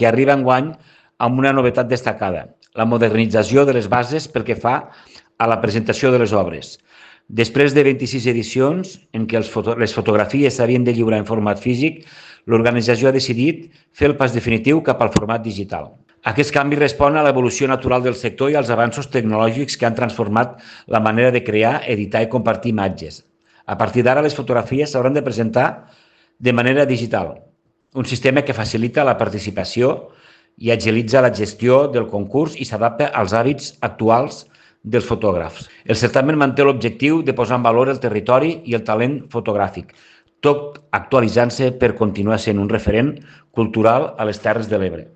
que arriba enguany amb una novetat destacada, la modernització de les bases pel que fa a la presentació de les obres. Després de 26 edicions en què les fotografies s'havien de lliurar en format físic, l'organització ha decidit fer el pas definitiu cap al format digital. Aquest canvi respon a l'evolució natural del sector i als avanços tecnològics que han transformat la manera de crear, editar i compartir imatges. A partir d'ara, les fotografies s'hauran de presentar de manera digital, un sistema que facilita la participació i agilitza la gestió del concurs i s'adapta als hàbits actuals dels fotògrafs. El certamen manté l'objectiu de posar en valor el territori i el talent fotogràfic, tot actualitzant-se per continuar sent un referent cultural a les Terres de l'Ebre.